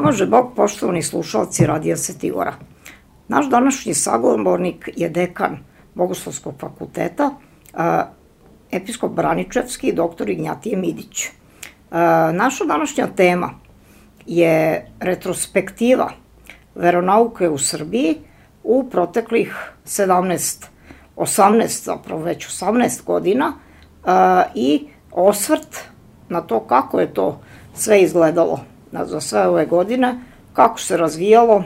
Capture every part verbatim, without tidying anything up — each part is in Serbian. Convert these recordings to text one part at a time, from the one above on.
pomaže Bog, poštovani slušalci Radija Svetigora. Naš današnji sagovornik je dekan Bogoslovskog fakulteta, episkop Braničevski, doktor Ignjatije Midić. Naša današnja tema je retrospektiva veronauke u Srbiji u proteklih sedamnaest, osamnaest, zapravo već osamnaest godina i osvrt na to kako je to sve izgledalo za sve ove godine, kako se razvijalo,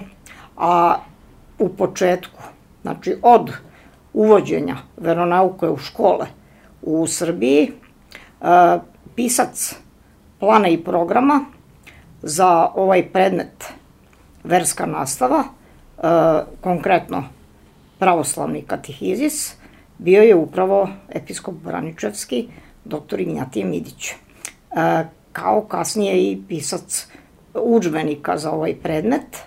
a u početku, znači od uvođenja veronauke u škole u Srbiji, pisac plana i programa za ovaj predmet verska nastava, konkretno pravoslavni katehizis, bio je upravo episkop Braničevski, doktor Ignjatije Midić, kao kasnije i pisac udžbenika za ovaj predmet.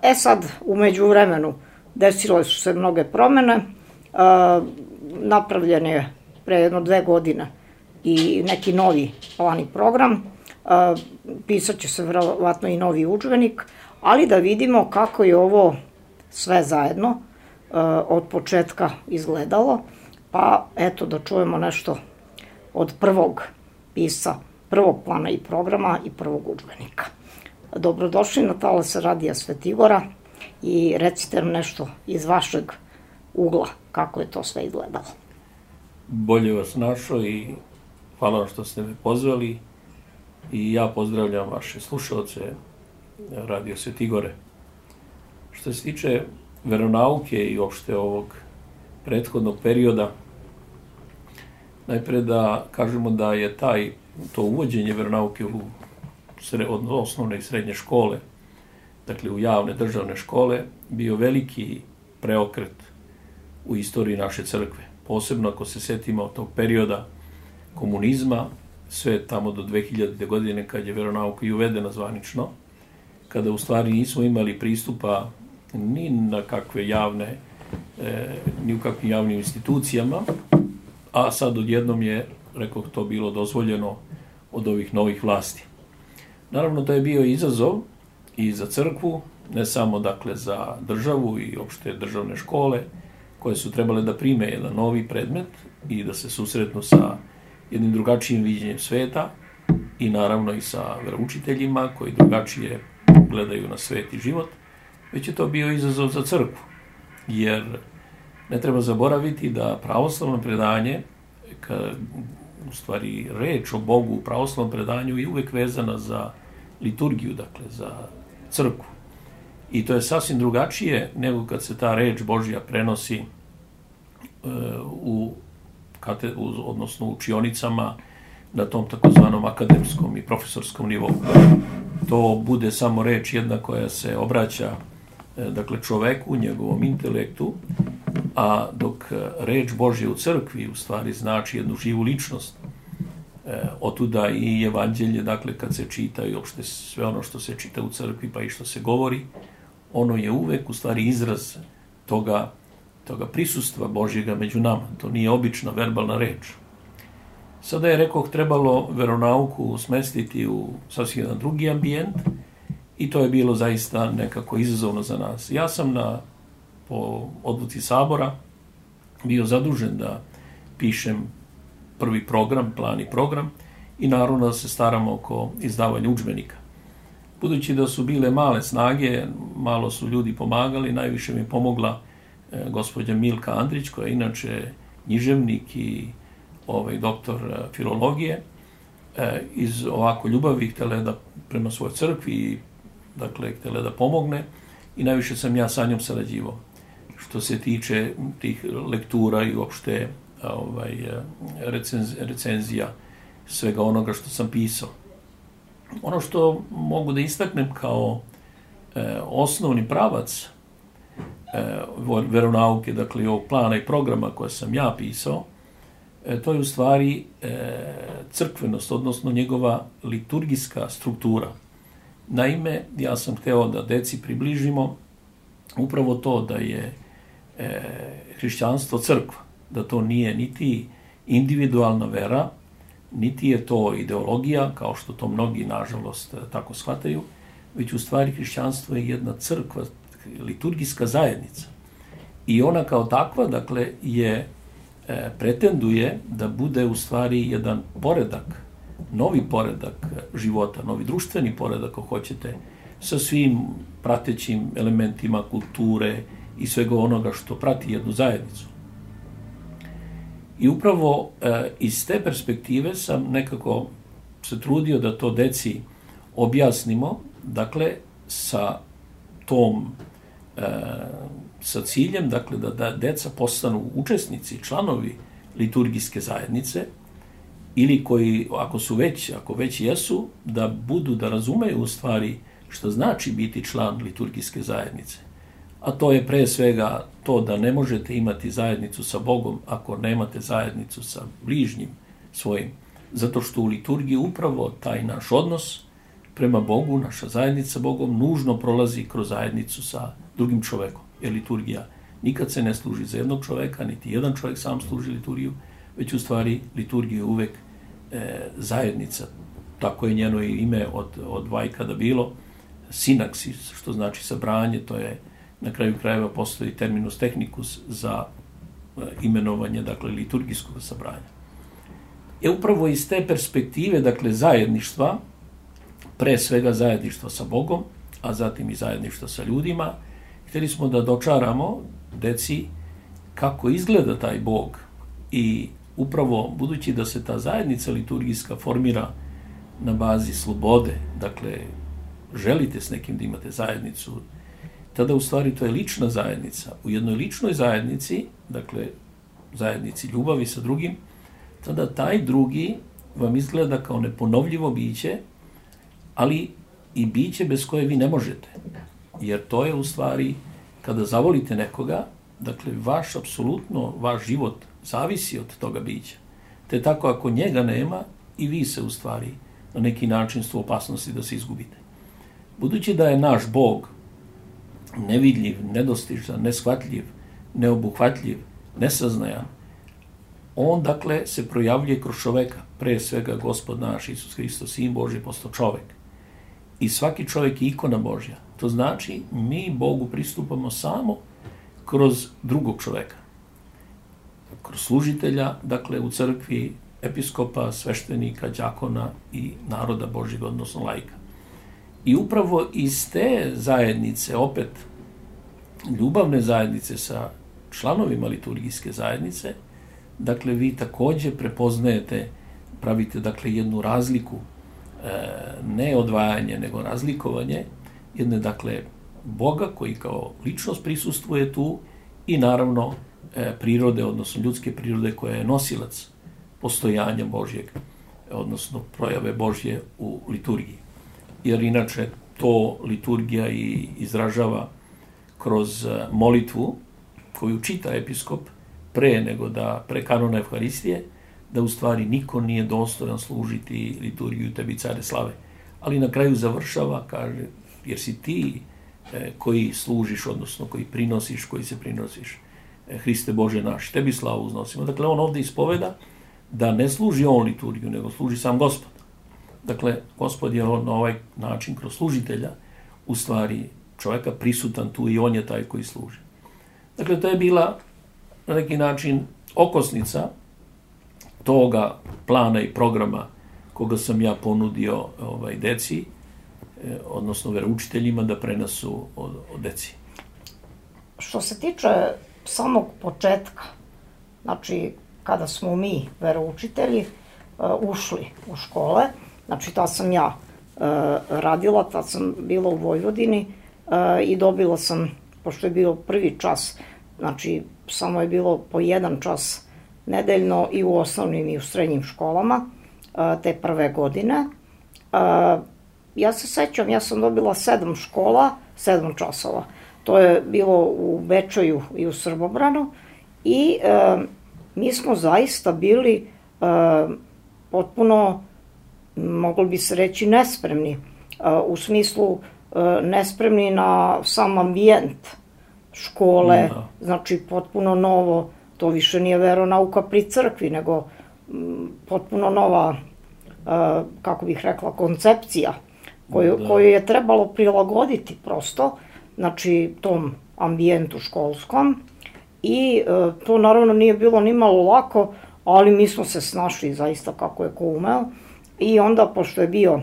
E sad, u međuvremenu, desile su se mnoge promene, napravljen je pre jedno dve godine i neki novi plan i program, pisat će se verovatno i novi udžbenik, ali da vidimo kako je ovo sve zajedno od početka izgledalo, pa eto da čujemo nešto od prvog pisca, prvog plana i programa i prvog udžbenika. Dobrodošli na talase Radija Svetigora i recite nam nešto iz vašeg ugla, kako je to sve izgledalo. Bolje vas našao i hvala vam što ste me pozvali i ja pozdravljam vaše slušalce Radio Svetigore. Što se tiče veronauke i uopšte ovog prethodnog perioda, najpre da kažemo da je taj, to uvođenje veronauke u osnovne i srednje škole, dakle u javne državne škole, bio veliki preokret u istoriji naše crkve. Posebno ako se setimo tog perioda komunizma, sve tamo do dve hiljadite. godine kad je veronauka i uvedena zvanično, kada u stvari nismo imali pristupa ni na kakve javne, ni u kakvim javnim institucijama, a sad odjednom je, rekao, to bilo dozvoljeno od ovih novih vlasti. Naravno, to je bio izazov i za crkvu, ne samo dakle za državu i opšte državne škole, koje su trebale da prime jedan novi predmet i da se susretnu sa jednim drugačijim viđenjem sveta i naravno i sa veroučiteljima koji drugačije gledaju na svet i život, već je to bio izazov za crkvu, jer ne treba zaboraviti da pravoslavno predanje, u stvari reč o Bogu u pravoslavnom predanju je uvek vezana za liturgiju, dakle za crkvu. I to je sasvim drugačije nego kad se ta reč Božja prenosi u, odnosno u učionicama na tom takozvanom akademskom i profesorskom nivou. To bude samo reč jedna koja se obraća dakle čoveku, njegovom intelektu, a dok reč Božja u crkvi u stvari znači jednu živu ličnost. Otuda i evanđelje, dakle kad se čita i uopšte sve ono što se čita u crkvi pa i što se govori, ono je uvek u stvari izraz toga, toga prisustva Božjega među nama. To nije obična verbalna reč. Sada je, rekoh, trebalo veronauku smestiti u sasvim jedan drugi ambijent i to je bilo zaista nekako izazovno za nas. Ja sam na, po odluci Sabora bio zadužen da pišem prvi program, plan i program i naravno da se staramo oko izdavanja udžbenika. Budući da su bile male snage, malo su ljudi pomagali, najviše mi je pomogla e, gospođa Milka Andrić, koja je inače književnik i ovaj, doktor e, filologije, e, iz ovako ljubavi htjela da prema svojoj crkvi, dakle htjela da pomogne i najviše sam ja sa njom sarađivao. Što se tiče tih lektura i uopšte ovaj, recenz, recenzija svega onoga što sam pisao. Ono što mogu da istaknem kao e, osnovni pravac e, veronauke, dakle ovog plana i programa koje sam ja pisao, e, to je u stvari e, crkvenost, odnosno njegova liturgijska struktura. Naime, ja sam hteo da deci približimo upravo to da je e, hrišćanstvo crkva, da to nije niti individualna vera, niti je to ideologija, kao što to mnogi, nažalost, tako shvataju, već u stvari hrišćanstvo je jedna crkva, liturgijska zajednica. I ona kao takva, dakle, je, e, pretenduje da bude u stvari jedan poredak, novi poredak života, novi društveni poredak, ako hoćete, sa svim pratećim elementima kulture i svega onoga što prati jednu zajednicu. I upravo e, iz te perspektive sam nekako se trudio da to deci objasnimo, dakle, sa tom, e, sa ciljem, dakle, da, da deca postanu učesnici, članovi liturgijske zajednice, ili koji, ako su već, ako već jesu, da budu, da razumeju u stvari što znači biti član liturgijske zajednice. A to je pre svega to da ne možete imati zajednicu sa Bogom ako nemate zajednicu sa bližnjim svojim. Zato što u liturgiji upravo taj naš odnos prema Bogu, naša zajednica sa Bogom, nužno prolazi kroz zajednicu sa drugim čovekom. Jer liturgija nikad se ne služi za jednog čoveka, niti jedan čovek sam služi liturgiju, već u stvari liturgija je uvek e, zajednica. Tako je njeno ime od, od vajkada bilo. Sinaksis, što znači sabranje, to je na kraju krajeva postoji terminus technicus za imenovanje, dakle, liturgijskog sabranja. Je upravo iz te perspektive, dakle, zajedništva, pre svega zajedništva sa Bogom, a zatim i zajedništva sa ljudima, htjeli smo da dočaramo deci kako izgleda taj Bog i upravo budući da se ta zajednica liturgijska formira na bazi slobode, dakle, želite s nekim da imate zajednicu, tada u stvari to je lična zajednica. U jednoj ličnoj zajednici, dakle, zajednici ljubavi sa drugim, tada taj drugi vam izgleda kao neponovljivo biće, ali i biće bez koje vi ne možete. Jer to je u stvari, kada zavolite nekoga, dakle, vaš, apsolutno, vaš život zavisi od toga bića. Te tako, ako njega nema, i vi se u stvari na neki način su u opasnosti da se izgubite. Budući da je naš Bog nevidljiv, nedostižan, neshvatljiv, neobuhvatljiv, nesaznajan, on, dakle, se projavljuje kroz čoveka, pre svega Gospod naš Isus Hristos, Sin Božji, postao čovek. I svaki čovek je ikona Božja. To znači, mi Bogu pristupamo samo kroz drugog čoveka. Kroz služitelja, dakle, u crkvi, episkopa, sveštenika, đakona i naroda Božjeg, odnosno laika. I upravo iz te zajednice, opet ljubavne zajednice sa članovima liturgijske zajednice, dakle, vi takođe prepoznajete, pravite, dakle, jednu razliku, e, ne odvajanje, nego razlikovanje jedne, dakle, Boga koji kao ličnost prisustvuje tu i naravno e, prirode, odnosno ljudske prirode koja je nosilac postojanja Božjeg, odnosno projave Božje u liturgiji. Jer inače to liturgija i izražava kroz molitvu koju čita episkop pre nego da, pre kanona Evharistije, da u stvari niko nije dostojan služiti liturgiju tebi, care slave. Ali na kraju završava, kaže, jer si ti e, koji služiš, odnosno koji prinosiš, koji se prinosiš, e, Hriste Bože naš, tebi slavu uznosimo. Dakle, on ovde ispoveda da ne služi on liturgiju, nego služi sam Gospod. Dakle, Gospod je na ovaj način kroz služitelja u stvari čovjeka prisutan tu i on je taj koji služi. Dakle, to je bila na neki način okosnica toga plana i programa koga sam ja ponudio ovaj, deci, eh, odnosno veroučiteljima da prenesu od, od deci. Što se tiče samog početka, znači kada smo mi, veroučitelji, uh, ušli u škole, znači tad sam ja uh, radila, tad sam bila u Vojvodini uh, i dobila sam, pošto je bio prvi čas, znači samo je bilo po jedan čas nedeljno i u osnovnim i u srednjim školama uh, te prve godine. Uh, ja se sećam, ja sam dobila sedam škola, sedam časova. To je bilo u Bečeju i u Srbobranu i uh, mi smo zaista bili uh, potpuno, moglo bi se reći, nespremni. Uh, u smislu uh, nespremni na sam ambijent škole, no. Znači potpuno novo, to više nije veronauka pri crkvi, nego m, potpuno nova, uh, kako bih rekla, koncepcija koju, koju je trebalo prilagoditi prosto, znači tom ambijentu školskom i e, to naravno nije bilo ni malo lako, ali mi smo se snašli zaista kako je ko umeo i onda pošto je bio e,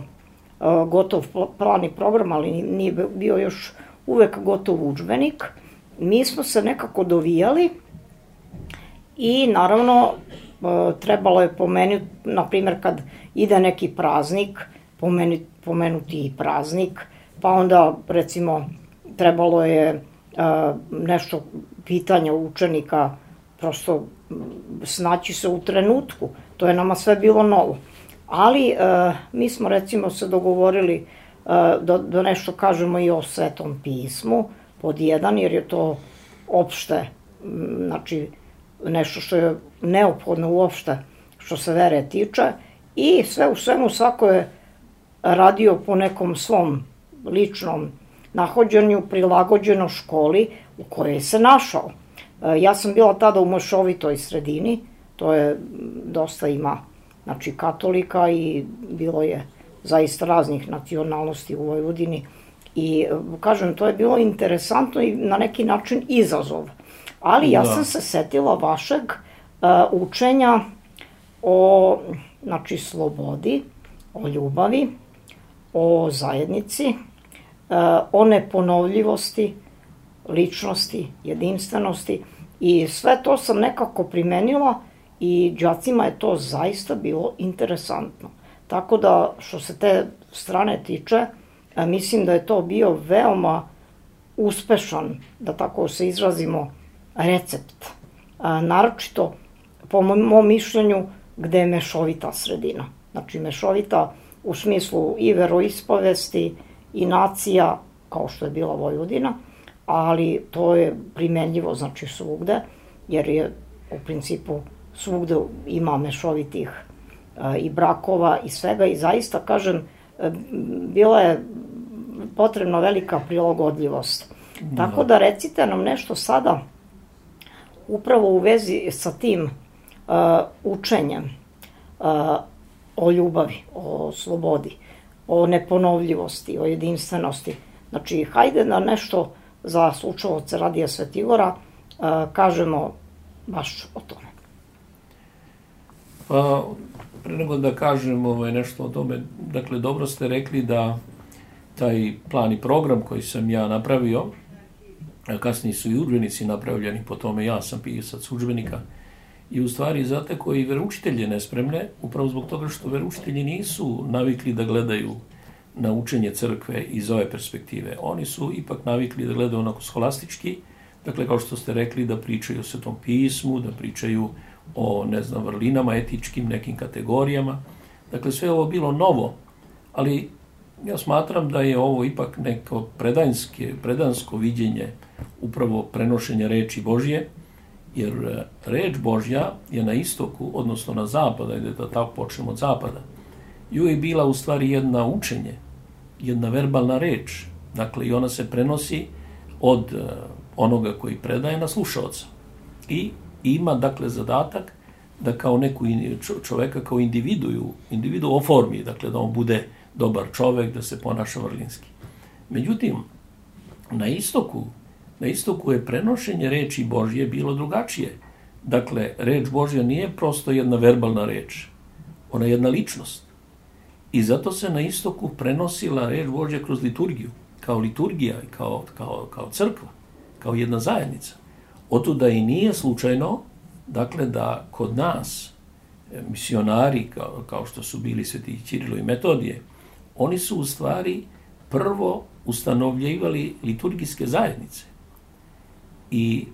gotov plan i program, ali nije bio još uvek gotov udžbenik, mi smo se nekako dovijali i naravno e, trebalo je pomenuti, na primjer kad ide neki praznik, pomenuti, pomenuti i praznik, pa onda recimo trebalo je uh, nešto pitanja učenika, prosto snaći se u trenutku, to je nama sve bilo novo. Ali uh, mi smo recimo se dogovorili uh, da, da nešto kažemo i o Svetom pismu, pod jedan, jer je to opšte, znači nešto što je neophodno uopšte što se vere tiče i sve u svemu svako je radio po nekom svom ličnom nahođenju, prilagođeno školi u kojoj se našao. Ja sam bila tada u mešovitoj sredini, to je dosta ima, znači katolika i bilo je zaista raznih nacionalnosti u Vojvodini i kažem, to je bilo interesantno i na neki način izazov. Ali ja sam se setila vašeg uh, učenja o, znači, slobodi, o ljubavi, o zajednici, o neponovljivosti, ličnosti, jedinstvenosti i sve to sam nekako primenila i đacima je to zaista bilo interesantno. Tako da što se te strane tiče, mislim da je to bio veoma uspešan, da tako se izrazimo, recept. Naročito, po mom mišljenju, gde je mešovita sredina. Znači mešovita u smislu i veroispovesti i nacija, kao što je bila Vojvodina, ali to je primenljivo, znači, svugde, jer je u principu svugde ima mešovitih e, i brakova i svega i zaista, kažem, e, bila je potrebna velika prilagodljivost. Da. Tako da recite nam nešto sada upravo u vezi sa tim e, učenjem e, o ljubavi, o slobodi, o neponovljivosti, o jedinstvenosti. Znači, hajde da nešto za slušaoce Radija Svetigora uh, kažemo baš o tome. Pa, pre nego da kažem ovaj, nešto o tome, dakle, dobro ste rekli da taj plan i program koji sam ja napravio, a kasnije su i udžbenici napravljeni, po tome ja sam pisac udžbenika, i u stvari zateko i veroučitelje nespremne, upravo zbog toga što veroučitelji nisu navikli da gledaju na učenje crkve iz ove perspektive. Oni su ipak navikli da gledaju onako scholastički, dakle, kao što ste rekli, da pričaju o Svetom pismu, da pričaju o, ne znam, vrlinama, etičkim nekim kategorijama. Dakle, sve ovo bilo novo, ali ja smatram da je ovo ipak neko predanske, predansko viđenje upravo prenošenja reči Božje, jer reč Božja je na istoku, odnosno na zapadu, ajde da tako počnemo od zapada, i uvijek bila u stvari jedna učenje, jedna verbalna reč, dakle i ona se prenosi od onoga koji predaje na slušaoca. I ima, dakle, zadatak da kao neku čoveka, kao individu, individu oformi, dakle da on bude dobar čovek, da se ponaša vrlinski. Međutim, na istoku, na istoku je prenošenje reči Božje bilo drugačije. Dakle, reč Božja nije prosto jedna verbalna reč, ona je jedna ličnost. I zato se na istoku prenosila reč Božja kroz liturgiju, kao liturgija i kao, kao, kao crkva, kao jedna zajednica. Otuda i nije slučajno, dakle, da kod nas misionari, kao, kao što su bili sveti Ćirilo i Metodije, oni su u stvari prvo ustanovljivali liturgijske zajednice. I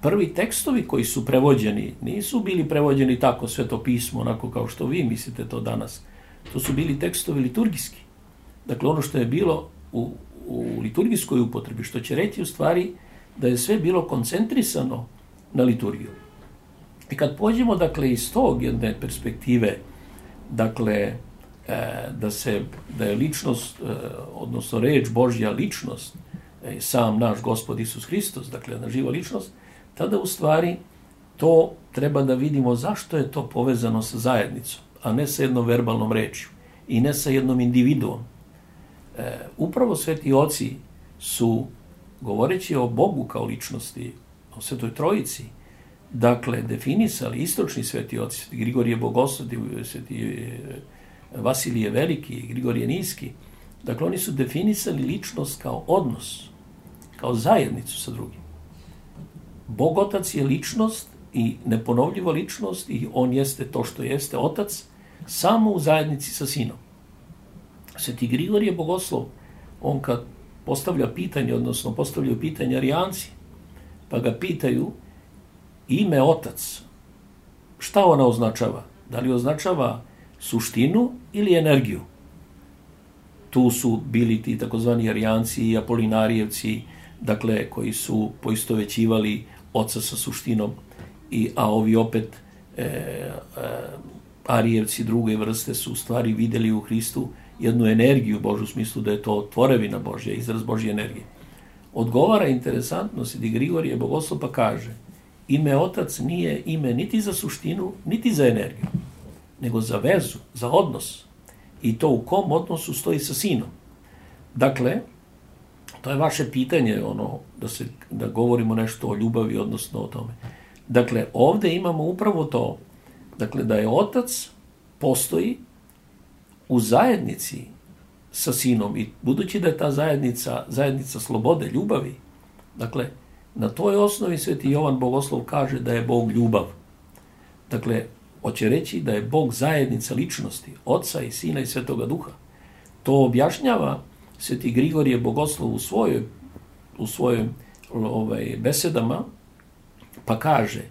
prvi tekstovi koji su prevođeni nisu bili prevođeni tako Sveto pismo, onako kao što vi mislite to danas. To su bili tekstovi liturgijski. Dakle, ono što je bilo u, u liturgijskoj upotrebi, što će reći u stvari da je sve bilo koncentrisano na liturgiju. I kad pođemo, dakle, iz tog jedne perspektive, dakle, da, se, da je ličnost, odnosno reč Božja ličnost, sam naš Gospod Isus Hristos, dakle, na živa ličnost, tada u stvari to treba da vidimo zašto je to povezano sa zajednicom, a ne sa jednom verbalnom rečju i ne sa jednom individuom. E, upravo sveti oci su, govoreći o Bogu kao ličnosti, o Svetoj Trojici, dakle, definisali istočni sveti oci, sveti Grigorije Bogoslov, sveti Vasilije Veliki, Grigorije Niski, dakle, oni su definisali ličnost kao odnos, kao zajednicu sa drugim. Bog Otac je ličnost i neponovljiva ličnost i on jeste to što jeste Otac, samo u zajednici sa Sinom. Sveti Grigorije Bogoslov, on kad postavlja pitanje, odnosno postavljaju pitanje Arijanci, pa ga pitaju ime Otac, šta ona označava? Da li označava suštinu ili energiju? Tu su bili ti takozvani Arijanci i Apolinarijevci, dakle, koji su poistovećivali Oca sa suštinom, i, a ovi opet e, e, Arijevci druge vrste su u stvari vidjeli u Hristu jednu energiju Božju, u smislu da je to tvorevina Božja, izraz Božje energije. Odgovara interesantno Sveti Grigorije Bogoslov pa kaže, ime Otac nije ime niti za suštinu, niti za energiju, nego za vezu, za odnos. I to u kom odnosu stoji sa Sinom. Dakle, to je vaše pitanje, ono, da, se, da govorimo nešto o ljubavi, odnosno o tome. Dakle, ovdje imamo upravo to, dakle, da je Otac postoji u zajednici sa Sinom i budući da je ta zajednica, zajednica slobode, ljubavi, dakle, na toj osnovi Sveti Jovan Bogoslov kaže da je Bog ljubav. Dakle, hoće reći da je Bog zajednica ličnosti, Oca i Sina i Svetoga Duha. To objašnjava Sveti Grigorije Bogoslov u svojoj, u svojim ovaj, besedama, pa kaže,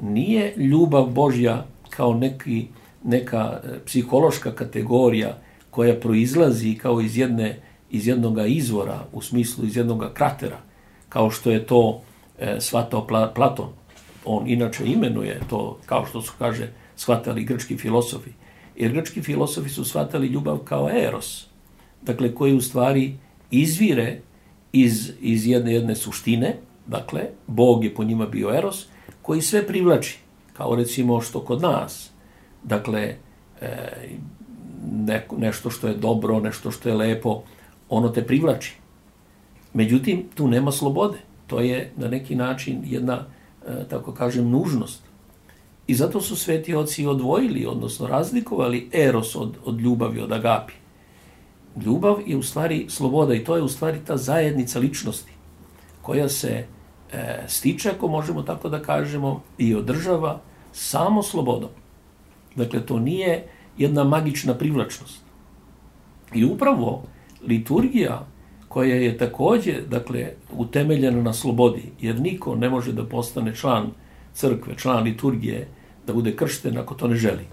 nije ljubav Božja kao neki, neka psihološka kategorija koja proizlazi kao iz, jedne, iz jednog izvora, u smislu iz jednog kratera, kao što je to e, shvatao Platon. On inače imenuje to, kao što su, kaže, shvatali grčki filosofi. Jer grčki filosofi su shvatali ljubav kao eros, dakle, koji u stvari izvire iz, iz jedne, jedne suštine, dakle, Bog je po njima bio eros, koji sve privlači, kao recimo što kod nas, dakle, e, ne, nešto što je dobro, nešto što je lepo, ono te privlači. Međutim, tu nema slobode. To je na neki način jedna, e, tako kažem, nužnost. I zato su sveti oci odvojili, odnosno razlikovali eros od, od ljubavi, od agapi. Ljubav je u stvari sloboda i to je u stvari ta zajednica ličnosti koja se e, stiče, ako možemo tako da kažemo, i održava samo slobodom. Dakle, to nije jedna magična privlačnost. I upravo liturgija koja je također, dakle, utemeljena na slobodi, jer niko ne može da postane član crkve, član liturgije, da bude kršten ako to ne želi.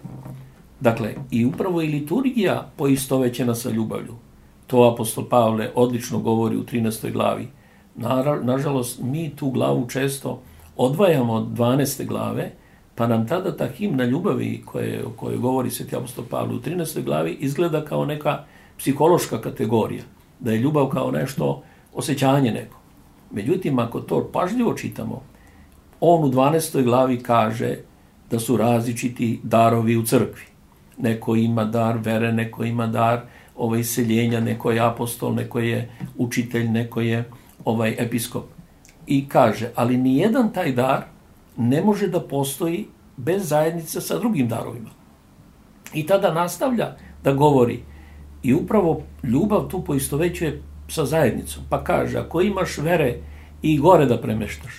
Dakle, i upravo i liturgija poistovećena sa ljubavlju. To apostol Pavle odlično govori u trinaestoj glavi. Na, nažalost, mi tu glavu često odvajamo od dvanaeste glave, pa nam tada ta himna ljubavi koje, o kojoj govori sveti apostol Pavle u trinaestoj glavi izgleda kao neka psihološka kategorija, da je ljubav kao nešto, osjećanje neko. Međutim, ako to pažljivo čitamo, on u dvanaestoj glavi kaže da su različiti darovi u crkvi. Neko ima dar vere, neko ima dar ovaj, iseljenja, neko je apostol, neko je učitelj, neko je ovaj, episkop. I kaže, ali nijedan taj dar ne može da postoji bez zajednice sa drugim darovima. I tada nastavlja da govori i upravo ljubav tu poistovećuje sa zajednicom. Pa kaže, ako imaš vere i gore da premeštaš,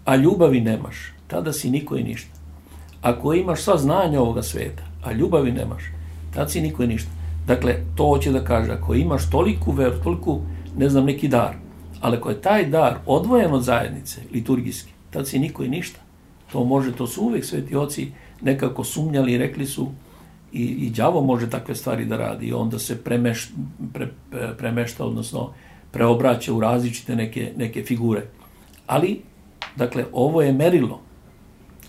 a ljubavi nemaš, tada si niko i ništa. Ako imaš sva znanja ovoga sveta, a ljubavi nemaš, tada si niko i ništa. Dakle, to hoće da kaže, ako imaš toliku veru, toliku, ne znam, neki dar, ali ako je taj dar odvojen od zajednice, liturgijski, tada si niko i ništa. To može, to su uvek sveti oci nekako sumnjali i rekli su i, i đavo može takve stvari da radi i onda se premeš, pre, premešta, odnosno preobraća u različite neke, neke figure. Ali, dakle, ovo je merilo.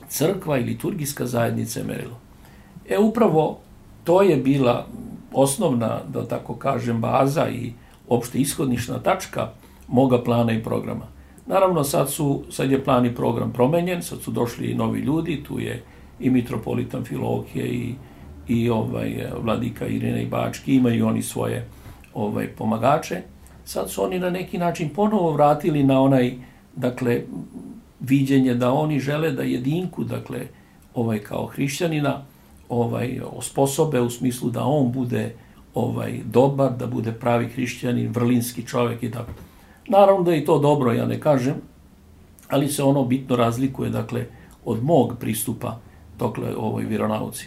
Crkva i liturgijska zajednica je merilo. E, upravo to je bila osnovna, da tako kažem, baza i opšte ishodnična tačka moga plana i programa. Naravno, sad, su, sad je plan i program promenjen, sad su došli i novi ljudi, tu je i mitropolitan Filohije i, i ovaj, vladika Irina i Bački, imaju oni svoje ovaj, pomagače. Sad su oni na neki način ponovo vratili na onaj, dakle, viđenje da oni žele da jedinku, dakle, ovaj, kao hrišćanina, ovaj, osposobe u smislu da on bude ovaj, dobar, da bude pravi hrišćanin, vrlinski čovjek i tako. Naravno da je to dobro, ja ne kažem, ali se ono bitno razlikuje, dakle, od mog pristupa, dakle, ovoj vjeronauci.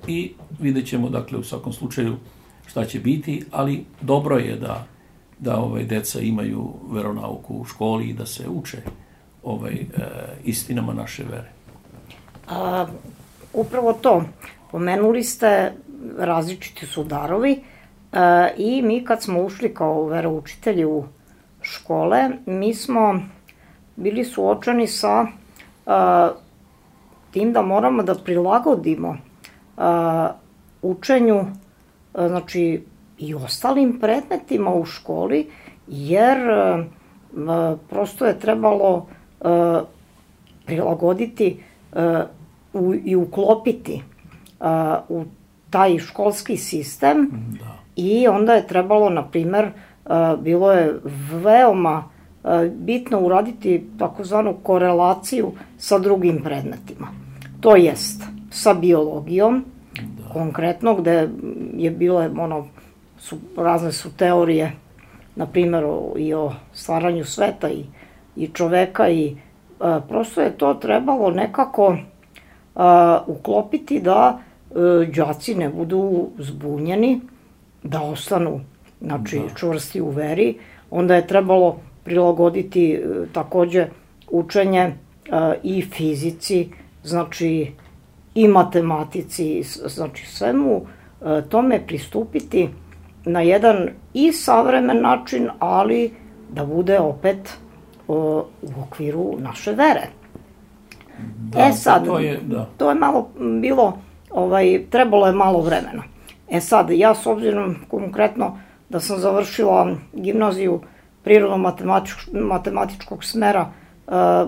I vidjet ćemo, dakle, u svakom slučaju šta će biti, ali dobro je da, da ovaj, deca imaju veronauku u školi i da se uče ovaj, e, istinama naše vere. A, upravo to. Pomenuli ste, različiti su darovi a, i mi kad smo ušli kao veroučitelji u škole, mi smo bili suočeni sa a, tim da moramo da prilagodimo a, učenju, a, znači i ostalim predmetima u školi, jer a, a, prosto je trebalo a, prilagoditi a, u, i uklopiti a, u taj školski sistem. Da. I onda je trebalo, na primer, a, bilo je veoma a, bitno uraditi takozvanu korelaciju sa drugim predmetima. To jest sa biologijom, da. Konkretno, gde je bilo, ono, su, razne su teorije, na primjer, o, i o stvaranju sveta i, i čoveka i a, prosto je to trebalo nekako a, uklopiti da a, đaci ne budu zbunjeni, da ostanu, znači, da. čvrsti u veri. Onda je trebalo prilagoditi a, takođe učenje a, i fizici, znači i matematici, znači svemu a, tome pristupiti na jedan i savremen način, ali da bude opet o, u okviru naše vere. Da, e sad, to je, da. to je malo bilo, ovaj, trebalo je malo vremena. E sad, ja s obzirom konkretno da sam završila gimnaziju prirodno-matematičkog smera, a,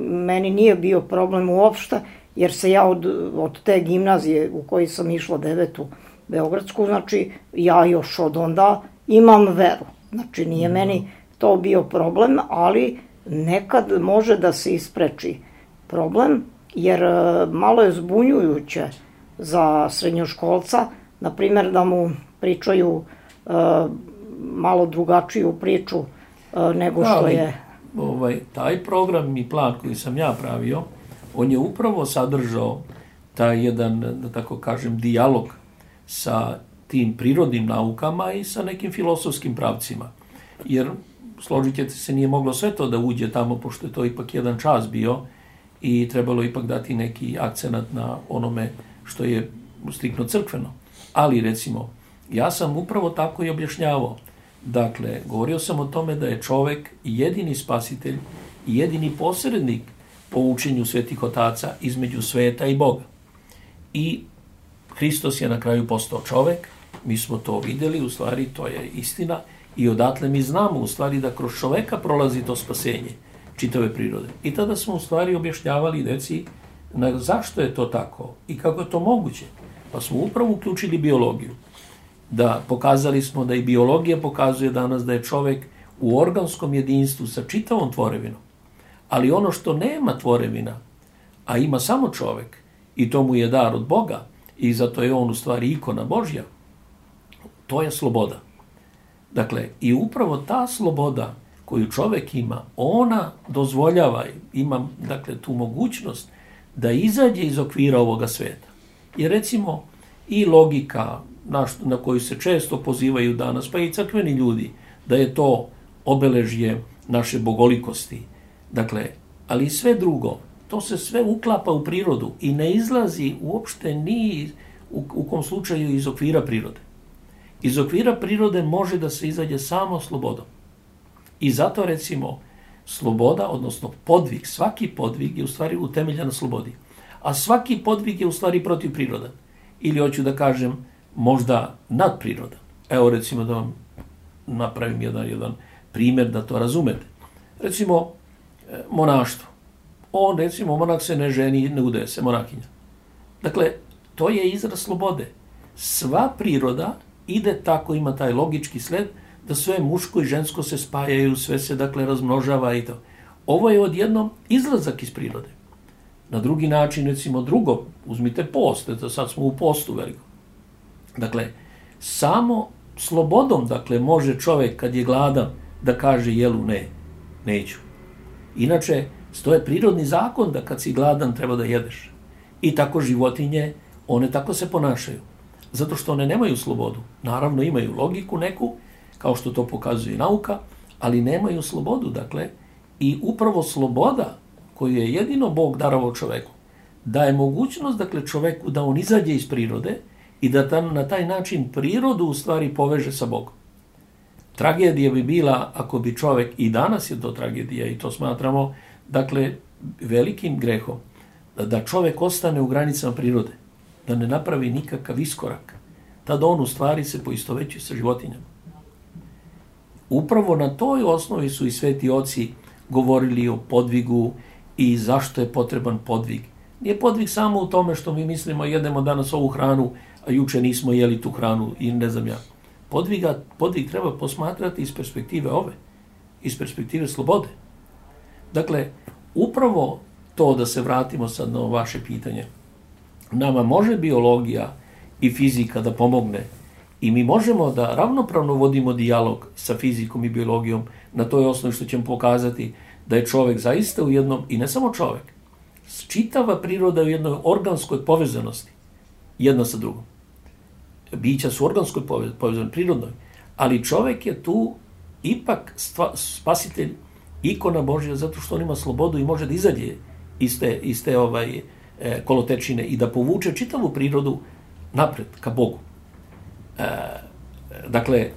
meni nije bio problem uopšte, jer se ja od, od te gimnazije u kojoj sam išla devetu Beogradsku, znači ja još od onda imam veru. Znači nije mm. meni to bio problem, ali nekad može da se ispreči problem, jer malo je zbunjujuće za srednjoškolca, na primjer da mu pričaju uh, malo drugačiju priču uh, nego što ali, je... Ovaj, taj program i plan koji sam ja pravio, on je upravo sadržao taj jedan, da tako kažem, dijalog sa tim prirodnim naukama i sa nekim filosofskim pravcima. Jer, složit ćete se, nije moglo sve to da uđe tamo, pošto je to ipak jedan čas bio i trebalo ipak dati neki akcenat na onome što je striktno crkveno. Ali, recimo, ja sam upravo tako i objašnjavao. Dakle, govorio sam o tome da je čovek jedini spasitelj i jedini posrednik po učenju svetih otaca između sveta i Boga. I Hristos je na kraju postao čovek, mi smo to videli, u stvari to je istina i odatle mi znamo u stvari da kroz čoveka prolazi to spasenje čitave prirode. I tada smo u stvari objašnjavali deci na zašto je to tako i kako je to moguće. Pa smo upravo uključili biologiju. Da pokazali smo da i biologija pokazuje danas da je čovek u organskom jedinstvu sa čitavom tvorevinom. Ali ono što nema tvorevina, a ima samo čovek, i to mu je dar od Boga, i zato je on u stvari ikona Božja, to je sloboda. Dakle, i upravo ta sloboda koju čovek ima, ona dozvoljava, ima, dakle, tu mogućnost da izađe iz okvira ovoga sveta. Jer recimo i logika na, na koju se često pozivaju danas, pa i crkveni ljudi, da je to obeležje naše bogolikosti. Dakle, ali i sve drugo, to se sve uklapa u prirodu i ne izlazi uopšte ni u, u kom slučaju iz okvira prirode. Iz okvira prirode može da se izađe samo slobodom. I zato, recimo, sloboda, odnosno podvig, svaki podvig je u stvari utemeljen na slobodi. A svaki podvig je u stvari protiv prirodan. Ili hoću da kažem, možda nadprirodan. Evo, recimo, da vam napravim jedan, jedan primjer da to razumete. Recimo, monaštvo. On, recimo, monak se ne ženi, ne udaje se, monakinja. Dakle, to je izraz slobode. Sva priroda ide tako, ima taj logički sled, da sve muško i žensko se spajaju, sve se dakle razmnožava i to. Ovo je odjednom izlazak iz prirode. Na drugi način, recimo drugo, uzmite post, eto sad smo u postu veliko. Dakle, samo slobodom, dakle, može čovjek kad je gladan da kaže jelu ne, neću. Inače, to je prirodni zakon da kad si gladan treba da jedeš. I tako životinje, one tako se ponašaju. Zato što one nemaju slobodu. Naravno, imaju logiku neku, kao što to pokazuje nauka, ali nemaju slobodu, dakle, i upravo sloboda koju je jedino Bog darovao čoveku, daje mogućnost, dakle, čoveku da on izađe iz prirode i da tam, na taj način prirodu u stvari poveže sa Bogom. Tragedija bi bila ako bi čovek, i danas je to tragedija i to smatramo, dakle, velikim grehom, da čovek ostane u granicama prirode, da ne napravi nikakav iskorak. Tada on u stvari se poistovećuje sa životinjama. Upravo na toj osnovi su i sveti oci govorili o podvigu i zašto je potreban podvig. Nije podvig samo u tome što mi mislimo jedemo danas ovu hranu, a juče nismo jeli tu hranu i ne znam ja. Podviga, podvig treba posmatrati iz perspektive ove, iz perspektive slobode. Dakle, upravo to, da se vratimo sad na vaše pitanje, nama može biologija i fizika da pomogne i mi možemo da ravnopravno vodimo dijalog sa fizikom i biologijom na toj osnovi što ćemo pokazati da je čovek zaista u jednom, i ne samo čovek, čitava priroda u jednoj organskoj povezanosti jedna sa drugom. Bića su organskoj povezani, prirodnoj, ali čovek je tu ipak stva, spasitelj, ikona Božja, zato što on ima slobodu i može da izađe iz te, iz te ovaj, e, kolotečine i da povuče čitavu prirodu napred, ka Bogu. E, dakle,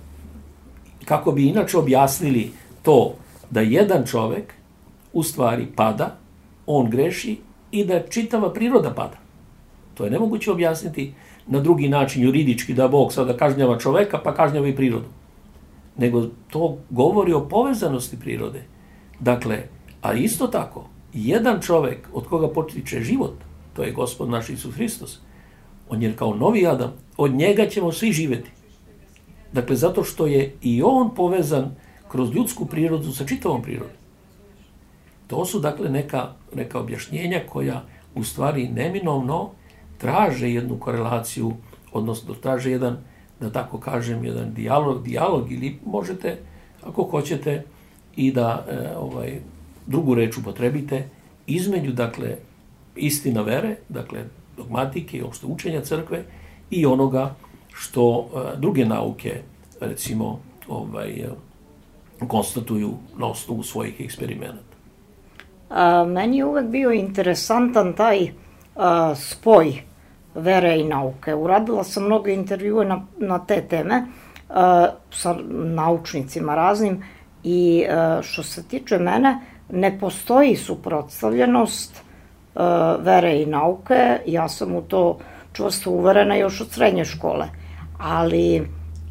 kako bi inače objasnili to da jedan čovek u stvari pada, on greši i da čitava priroda pada. To je nemoguće objasniti na drugi način, juridički, da Bog sada kažnjava čoveka pa kažnjava i prirodu. Nego to govori o povezanosti prirode. Dakle, a isto tako, jedan čovek od koga potiče život, to je Gospod naš Isus Hristos, on je kao novi Adam, od njega ćemo svi živjeti. Dakle, zato što je i on povezan kroz ljudsku prirodu sa čitavom prirodom. To su, dakle, neka, neka objašnjenja koja u stvari neminovno traže jednu korelaciju, odnosno traže jedan, da tako kažem, jedan dijalog, dijalog ili možete, ako hoćete, i da e, ovaj, drugu reč upotrebite između, dakle, istina vere, dakle, dogmatike i opšte učenja crkve i onoga što e, druge nauke, recimo, ovaj, e, konstatuju na osnovu svojih eksperimenata. A, meni je uvek bio interesantan taj a, spoj vere i nauke. Uradila sam mnogo intervjue na, na te teme a, sa naučnicima raznim i a, što se tiče mene, ne postoji suprotstavljenost a, vere i nauke. Ja sam u to čvrsto uverena još od srednje škole. Ali,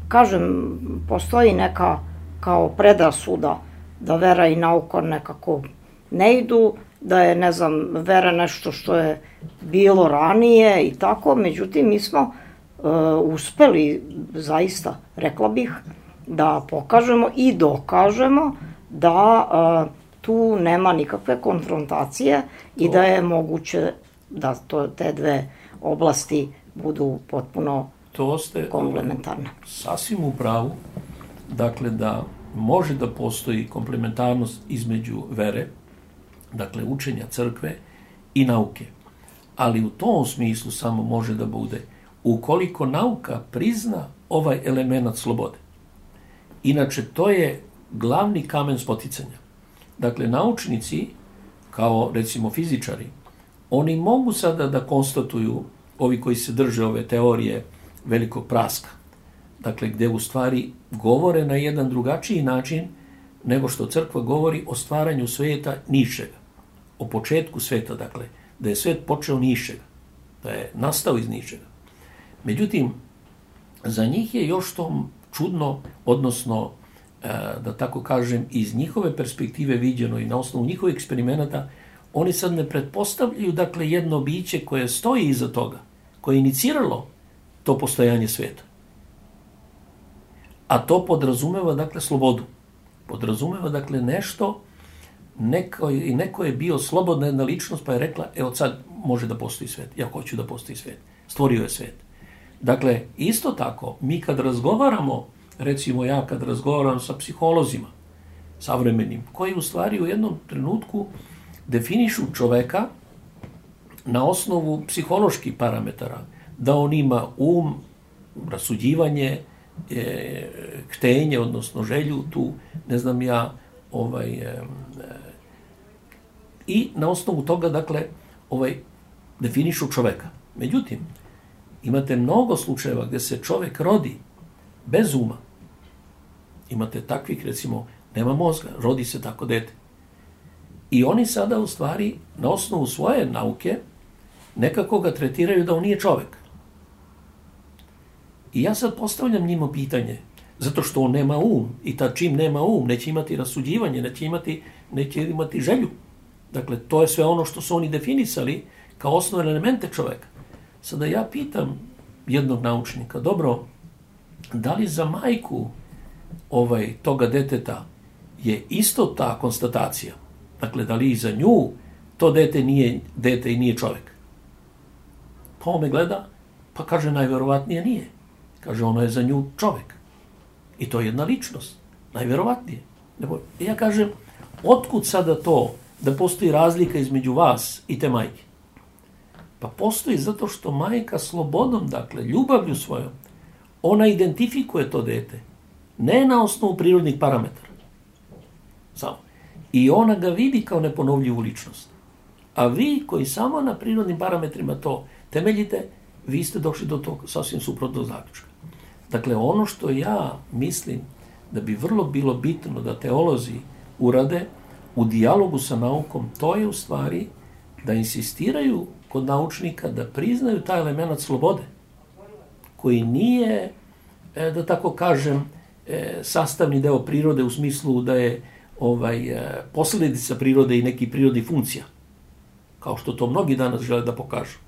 kažem, postoji neka kao predrasuda da vera i nauka nekako ne idu, da je, ne znam, vera nešto što je bilo ranije i tako. Međutim, mi smo uh, uspeli, zaista, rekla bih, da pokažemo i dokažemo da uh, tu nema nikakve konfrontacije i da je moguće da to, te dve oblasti budu potpuno to ste komplementarne. Sasvim u pravu, dakle, da može da postoji komplementarnost između vere, dakle, učenja crkve i nauke. Ali u tom smislu samo može da bude ukoliko nauka prizna ovaj element slobode. Inače, to je glavni kamen spoticanja. Dakle, naučnici, kao recimo fizičari, oni mogu sada da konstatuju, ovi koji se drže ove teorije velikog praska, dakle, gde u stvari govore na jedan drugačiji način nego što crkva govori o stvaranju sveta ničega, o početku sveta, dakle, da je svet počeo ničega, da je nastao iz ničega. Međutim, za njih je još to čudno, odnosno, da tako kažem, iz njihove perspektive viđeno i na osnovu njihovih eksperimenata, oni sad ne pretpostavljaju, dakle, jedno biće koje stoji iza toga, koje je iniciralo to postojanje sveta. A to podrazumeva, dakle, slobodu. Podrazumeva, dakle, nešto, neko, neko je bio slobodna jedna ličnost, pa je rekla, evo sad može da postoji svet, ja hoću da postoji svet. Stvorio je svet. Dakle, isto tako, mi kad razgovaramo, recimo ja kad razgovaram sa psiholozima, savremenim, koji u stvari u jednom trenutku definišu čoveka na osnovu psiholoških parametara, da on ima um, rasuđivanje, e, htenje, odnosno želju, tu, ne znam ja, ovaj, e, e, i na osnovu toga, dakle, ovaj, definišu čoveka. Međutim, imate mnogo slučajeva gde se čovek rodi bez uma. Imate takvih, recimo, nema mozga, rodi se tako dete. I oni sada, u stvari, na osnovu svoje nauke, nekako ga tretiraju da on nije čovek. I ja sad postavljam njima pitanje, zato što on nema um, i tad čim nema um, neće imati rasuđivanje, neće imati, neće imati želju. Dakle, to je sve ono što su oni definisali kao osnovne elemente čoveka. Sada ja pitam jednog naučnika, dobro, da li za majku ovaj, toga deteta je isto ta konstatacija? Dakle, da li i za nju to dete nije dete i nije čovek? Pa on me gleda, pa kaže, najverovatnije nije. Kaže, ono je za nju čovek. I to je jedna ličnost, najverovatnije. Ja kažem, otkud sada to da postoji razlika između vas i te majke? Pa postoji zato što majka slobodom, dakle, ljubavlju svojom, ona identifikuje to dete, ne na osnovu prirodnih parametara. Samo. I ona ga vidi kao neponovljivu ličnost. A vi koji samo na prirodnim parametrima to temeljite, vi ste došli do tog sasvim suprotnog zaključka. Dakle, ono što ja mislim da bi vrlo bilo bitno da teolozi urade u dijalogu sa naukom, to je u stvari da insistiraju kod naučnika da priznaju taj element slobode, koji nije, da tako kažem, sastavni deo prirode u smislu da je ovaj, posledica prirode i neki prirodni funkcija, kao što to mnogi danas žele da pokažu.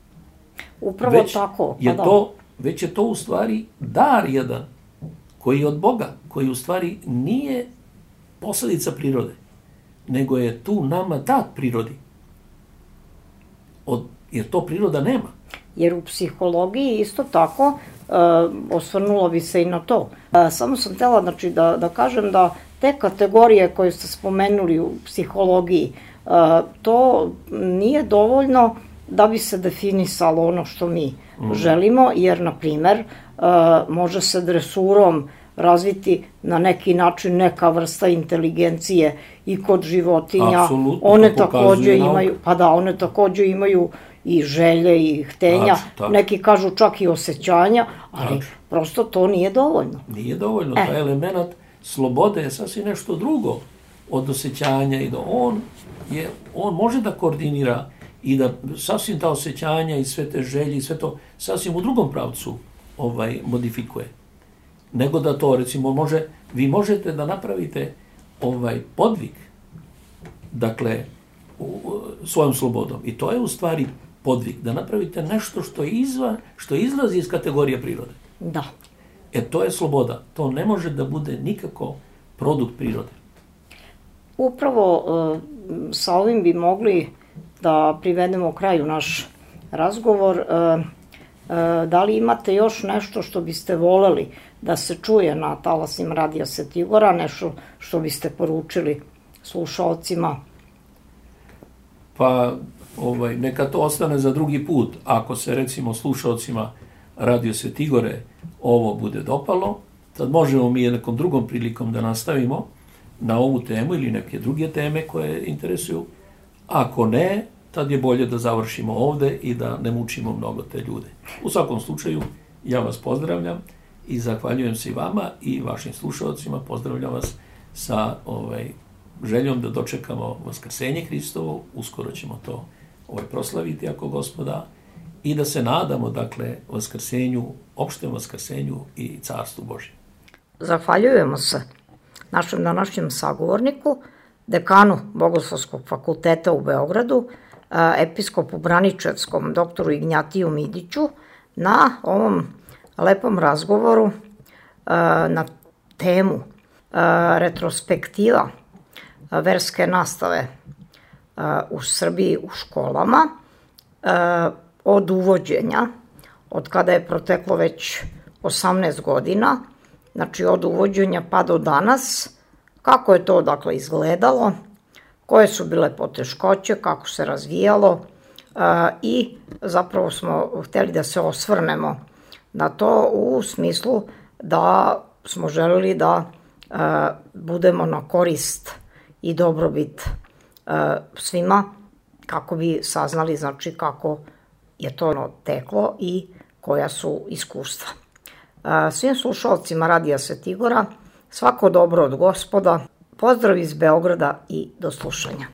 Upravo već tako. Je to, već je to u stvari dar jedan koji je od Boga, koji u stvari nije posledica prirode, nego je tu nama dat prirodi. Od, jer to priroda nema. Jer u psihologiji isto tako, uh, osvrnulo bi se i na to. Uh, samo sam htela, znači, da, da kažem da te kategorije koje ste spomenuli u psihologiji, uh, to nije dovoljno da bi se definisalo ono što mi mm. želimo, jer, na primer, uh, može se dresurom razviti na neki način neka vrsta inteligencije i kod životinja. Apsolutno, one takođe imaju, pa da, one takođe imaju i želje i htenja, tačno, tačno. Neki kažu čak i osjećanja, ali tačno. Prosto to nije dovoljno. Nije dovoljno, e. taj element slobode je sasvim nešto drugo od osjećanja i da on, je, on može da koordinira i da sasvim ta osjećanja i sve te želje i sve to sasvim u drugom pravcu ovaj, modifikuje. Nego da to, recimo, može, vi možete da napravite ovaj podvig, dakle, u, u, svojom slobodom. I to je u stvari podvig, da napravite nešto što, izva, što izlazi iz kategorije prirode. Da. E, to je sloboda. To ne može da bude nikako produkt prirode. Upravo uh, sa ovim bi mogli da privedemo kraju naš razgovor. Uh, uh, da li imate još nešto što biste voleli da se čuje na talasima Radija Svetigora, nešto što biste poručili slušalcima? Pa, ovaj, neka to ostane za drugi put. Ako se, recimo, slušalcima Radio Svetigore ovo bude dopalo, tad možemo mi nekom drugom prilikom da nastavimo na ovu temu ili neke druge teme koje interesuju. Ako ne, tad je bolje da završimo ovde i da ne mučimo mnogo te ljude. U svakom slučaju, ja vas pozdravljam i zahvaljujem se i vama i vašim slušalcima. Pozdravljam vas sa ovaj, željom da dočekamo Vaskrsenje Hristovo. Uskoro ćemo to ovaj, proslaviti ako Gospoda i da se nadamo, dakle, Vaskrsenju, opštem Vaskrsenju i Carstvu Božjem. Zahvaljujemo se našem današnjem sagovorniku, dekanu Bogoslovskog fakulteta u Beogradu, episkopu Braničevskom, doktoru Ignjatiju Midiću, na ovom lepom razgovoru na temu retrospektiva verske nastave u Srbiji u školama od uvođenja, od kada je proteklo već osamnaest godina, znači od uvođenja pa do danas, kako je to dakle izgledalo, koje su bile poteškoće, kako se razvijalo i zapravo smo hteli da se osvrnemo na to u smislu da smo želeli da budemo na korist i dobrobit svima, kako bi saznali znači kako je to teklo i koja su iskustva. Svim slušalcima Radija Svetigora svako dobro od Gospoda, pozdrav iz Beograda i do slušanja.